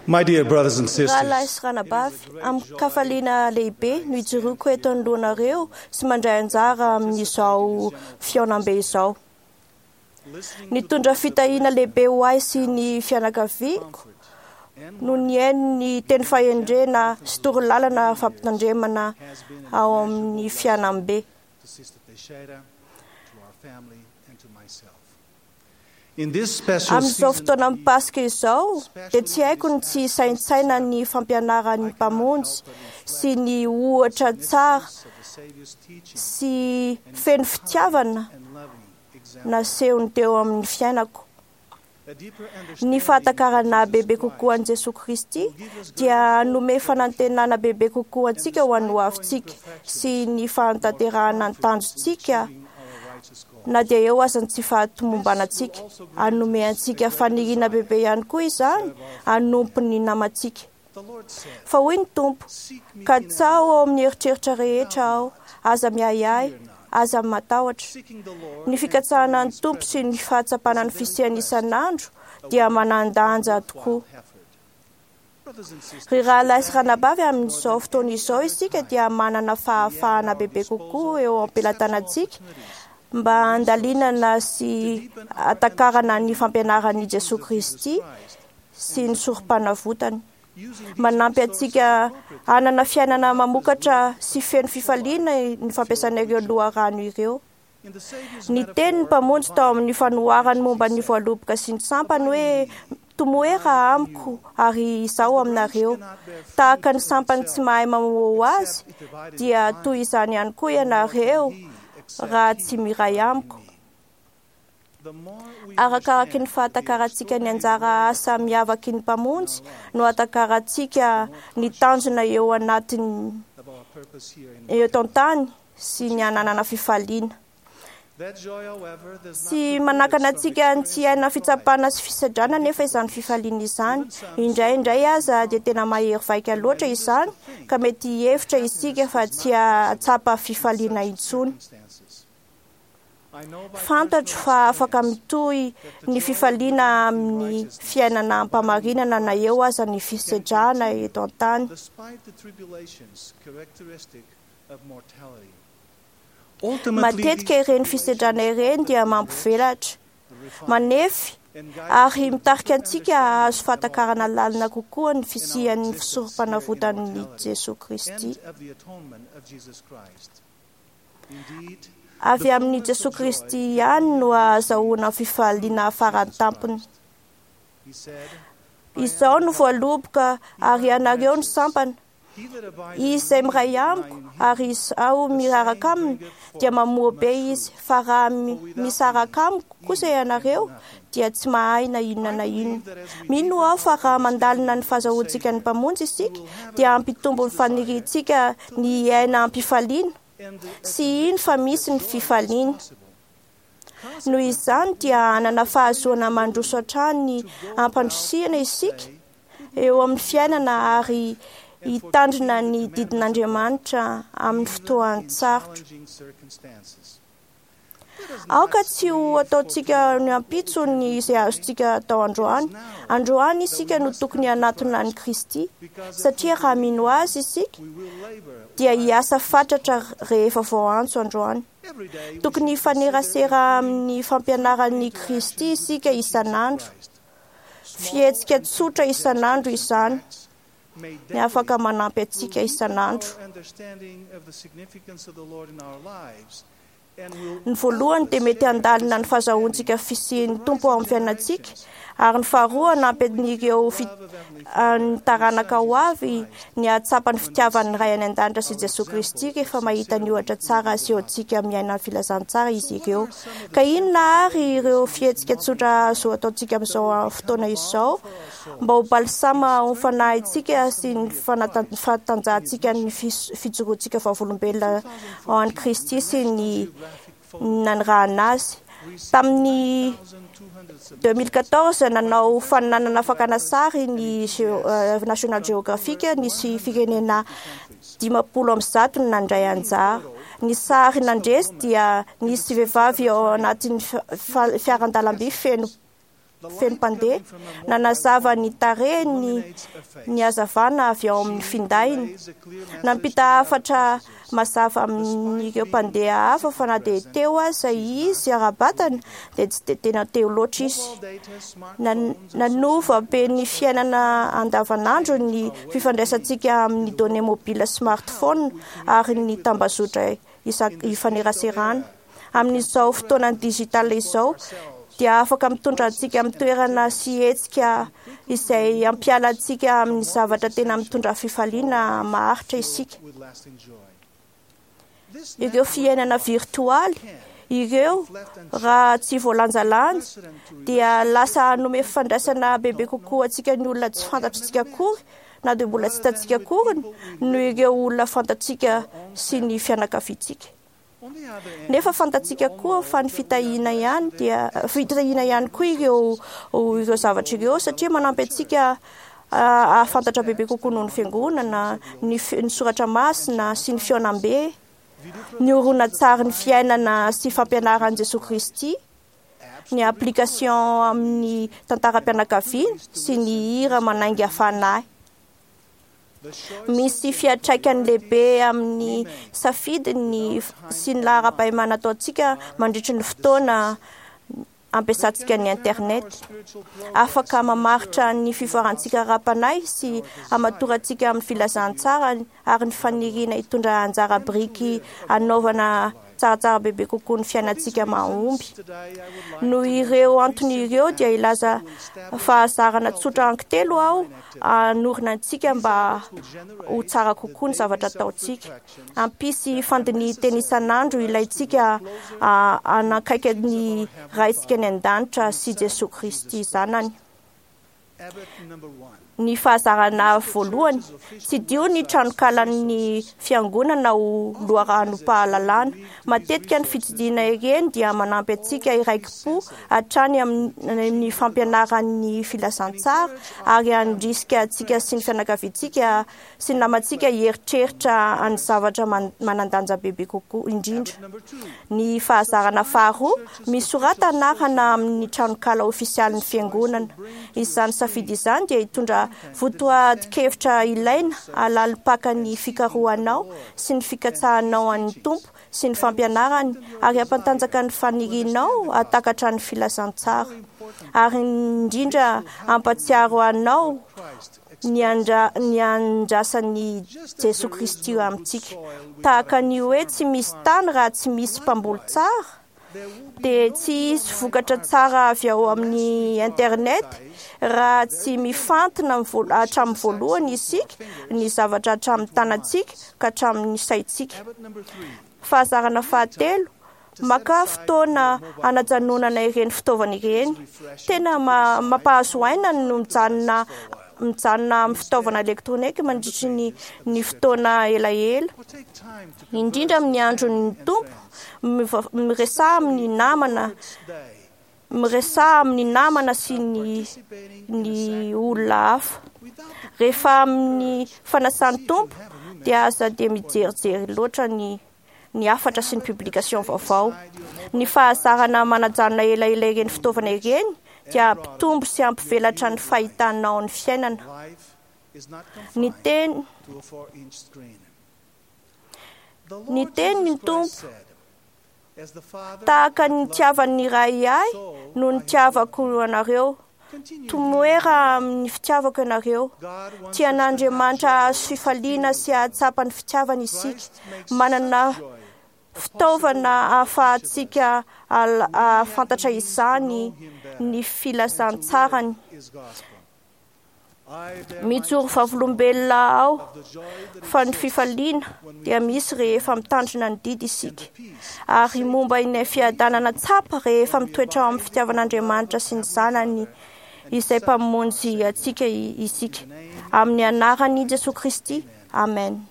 My dear brothers and Rahalahy sisters, sy ranabavy, amin-kafaliana lehibe no ijoroako eto anoloanareo sy mandray anjara amin'izao fihaonambe izao. Nitondra fitahiana lehibe ho ahy sy ny fianakaviako no nihaino ny teny fahendrena sy torolalana fampitandremana ao amin'ny fihaonambe. to Sister Teixeira, to our family, and to myself. In this special Amin'izao season fotoana of mipasoka izao dia tsy haiko ny tsy saintsaina ny fampianaran'ny Mpamonjy sy ny ohatra tsara of the Savior's teaching sy feno fitiavana and loving example, nasehony teo amin'ny fiainako. a deeper Ny understanding fahatakarana of Jesus bebe kokoa an'i Christ Jesoa Kristy dia hanome fanantenana bebe kokoa antsika ho an'ny hoavintsika sy ny fahatanterahana ny tanjontsika achieving our righteous goal. na dia eo aza ny tsy fahatomombanantsika. Hanome antsika faniriana bebe ihany koa izany hanompo ny namantsika. The Lord said, Fa hoy ny Tompo, Seek me ka in tsaho ao amin'ny eritreritra rehetra aho, aza miahiahy, aza matahotra. seeking the Lord Ny fikatsahana ny Tompo sy ny fahatsapana ny fisiany isan'andro dia manan-danja tokoa. effort. Brothers and sisters, Ry rahalahy sy ranabavy, amin'izao fotoana izao isika dia manana fahafahana bebe kokoa eo am-pelatanantsika mba handalinana sy hatakarana ny fampianaran'i Jesoa Kristy sy ny sorom-panavotany. using Manampy antsika hanana fiainana mamokatra sy feno fifaliana ny fampiasana ireo loharano ireo. in the Savior's Ny tenin'ny Mpamonjy tao amin'ny fanoharany momba ny voaloboka sy ny sampany hoe tomoera amiko ary izaho aminareo. Tahaka ny sampany tsy mahay mamoa ho azy dia toy izany ihany koa ianareo raha tsy miray amiko. the more we Arakaraky ny fahatakarantsika ny anjara asa miavaky ny Mpamonjy no atakarantsika ny tanjona eo anatiny of our purpose here in eto an-tany sy ny hananana fifaliana. that joy, however, does not Tsy manakana antsika ny tsy hiaina fitsapana sy fisedrana nefa izany fifaliana izany. Indraindray aza dia tena mahery vaika loatra izany ka mety hihevitra isika fa tsy hahatsapa fifaliana intsony. circumstances. I know by Fantatro fa afaka mitohy ny fifaliana amin'ny fiainana ampamarinana na eo aza ny fisedrana eto an-tany. despite the tribulations characteristic of mortality. Matetika ireny fisedrana ireny dia mampivelatra, manefy ary mitarika antsika hahazo fahatakarana lalina kokoa ny fisian'ny fisorom-panavotan'i Jesoa Kristy. End of the atonement of Jesus Christ. Indeed, Avy amin'i Jesoa Kristy ihany no ahazahoana fifaliana faran-tampony. he said, Izao no voaloboka ary ianareo ny sampana. He that abideth Izy izay miray amiko ary izaho miraraka aminy dia mamoa be izy, fa raha misaraka amiko kosa ianareo dia tsy mahay na inona na inona. Mino aho fa raha mandalina ny fahazahoantsika ny Mpamonjy isika dia hampitombo ny faniriantsika ny hiaina am-pifaliana and the sy hino fa misy ny fifaliana. Noho izany dia hanana fahazoana mandroso hatrany ampandrosihana isika eo amin'ny fiainana ary hitandrina ny didin'Andriamanitra amin'ny fotoan-tsarotra. challenging circumstances. Aoka tsy ho ataontsika ny ampitso ny izay azontsika atao androany. Androany isika no tokony hanatona an'i Kristy, satria raha mino azy isika We will labor dia hiasa fatratra rehefa voaantso androany. every day. we Tokony hifanerasera amin'ny fampianaran'i Kristy isika isan'andro. Fihetsika tsotra isan'andro izany may ny afaka manampy antsika isan'andro. our understanding of the significance of the Lord in our lives and will Ny voalohany dia mety handalina ny fahazahoantsika fisian'ny Tompo ao amin'ny fiainantsika ary ny faharoa hanampy an'ireo ny taranaka ho avy ny hahatsapa ny fitiavan'ny Ray any an-danitra sy Jesoa Kristy rehefa mahita ny ohatra tsara asehontsika miaina ny filazantsara izy ireo. Ka inona ary ireo fihetsika tsotra azo ataontsika amin'izao fotoana izao mba ho balsama ho fanahintsika sy ny fahatanjahantsika ny fijoroantsika vavolombelona ao an'i Kristy sy ny nanirahana azy. Tamin'ny 2014 nanao fananana fakana sary ny National Geographic nisy firenena 150 no nandray anjara. Ny sary nandresy dia nisy vehivavy ao anatin'ny fiaran-dalamby feno feno mpandeha. Nanazava ny tarehiny ny hazavana avy ao amin'ny findainy. Nampita hafatra mazava amin'ireo mpandeha hafa fa na dia teo aza izy ara-batana dia tsy dia tena teo loatra izy. Nanova be ny fiainana andavanandro ny fifandraisantsika amin'ny données mobile smartphone ary ny tambazotra ifaneraserana. Amin'izao fotoanan'ny digital izao dia afaka mitondra antsika amin'ny toerana sy hetsika izay hampiala antsika amin'ny zavatra tena mitondra fifaliana maharitra isika. Ireo fiainana virtoaly ireo raha tsy voalanjalanja dia lasa hanome fifandraisana bebe kokoa antsika ny olona tsy fantatritsika akory na dia mbola tsy hitantsika akory noho ireo olona fantatsika sy ny fianakaviantsika. Nefa fantatsika koa fa ny fitahiana ihany dia fitahiana ihany koa ireo ireo zavatra ireo satria manampy antsika hahafantatra bebe kokoa noho ny fiangonana, ny soratra masina sy ny fihaonambe, ny horonantsary ny fiainana sy fampianaran'i Jesoa Kristy, ny application amin'ny tantaram-pianakaviana sy ny hira manainga fanahy. Misy fiantraikany lehibe amin'ny safidiny sy ny laharam-pahemana ataontsika mandritry ny fotoana ampiasantsika ny internet. Afaka mamaritra ny fivoarantsika ara-panahy sy hamatorantsika amin'ny filazantsara ary ny faniriana hitondra anjara biriky hanaovana tsaratsara bebe kokoa ny fiainantsika mahomby. Noho ireo antony ireo dia hilaza fahazarana tsotra anankitelo aho hanorina antsika mba ho tsara kokoa ny zavatra ataontsika. Hampisy fandinihan-tena isan'andro ilaintsika hanakaiky ny Raintsika any an-danitra sy Jesoa Kristy Zanany. Ny fahazarana voalohany, tsidiho ny tranokalan'ny fiangonana ho loharanom-pahalalana. Matetika ny fitsidihana ireny dia manampy antsika hiraiki-po hatrany amin'ny fampianaran'ny filazantsara ary handrisika antsika sy ny fianakaviantsika sy ny namantsika hieritreritra ny zavatra manan-danja bebe kokoa indrindra. Ny fahazarana faharoa, misorata anarana amin'ny tranonkala ofisialin'ny fiangonana. Izany safidy izany dia hitondra votoatin-kevitra ilaina hahalalim-paka ny fikarohanao sy ny fikatsahanao an'ny Tompo sy ny fampianarany ary hampantanjaka ny fanirianao hahatakatra ny filazantsara. Ary indrindra hampatsiaro anao ny ny andrasan'i Jesoa Kristy amintsika. Tahaka ny hoe tsy misy tany raha tsy misy mpamboly tsara, dia tsy hisy vokatra tsara avy ao amin'ny internet raha tsy mifantina hatramin'ny voalohany isika ny zavatra hatramin'ny tanantsika ka hatramin'ny saintsika. Fahazarana fahatelo, maka fotoana hanajanonana ireny fitaovana ireny. Tena mampahazo aina no mijanona mijanona amin'ny fitaovana elektronika mandritry ny ny fotoana elaela. Indrindra amin'ny andron'ny Tompo, miresaha amin'ny namana, miresaha amin'ny namana sy ny ny olona hafa. Rehefa amin'ny fanasan'ny Tompo dia aza dia mijerijery loatra ny ny hafatra sy ny publication vaovao. Ny fahazarana manajanona elaela ireny fitaovana ireny dia hampitombo sy hampivelatra ny fahitanao ny fiainana. Ny teny ny teny ny Tompo tahaka ny nitiavan'ny Ray ahy no nitiavako anareo. Tomoera amin'ny fitiavako ianareo. Tian'Andriamanitra hahazo fifaliana sy hahatsapa ny fitiavany isika. Manana fitaovana ahafahantsika hahafantatra izany ny filazantsarany. Mijoro vavolombelona aho fa ny fifaliana dia misy rehefa mitandrina ny didy isika. Ary momba ilay fiadanana tsapa rehefa mitoetra ao amin'ny fitiavan'Andriamanitra sy ny Zanany izay Mpamonjy antsika isika. Amin'ny anaran'i Jesoa Kristy. Amen.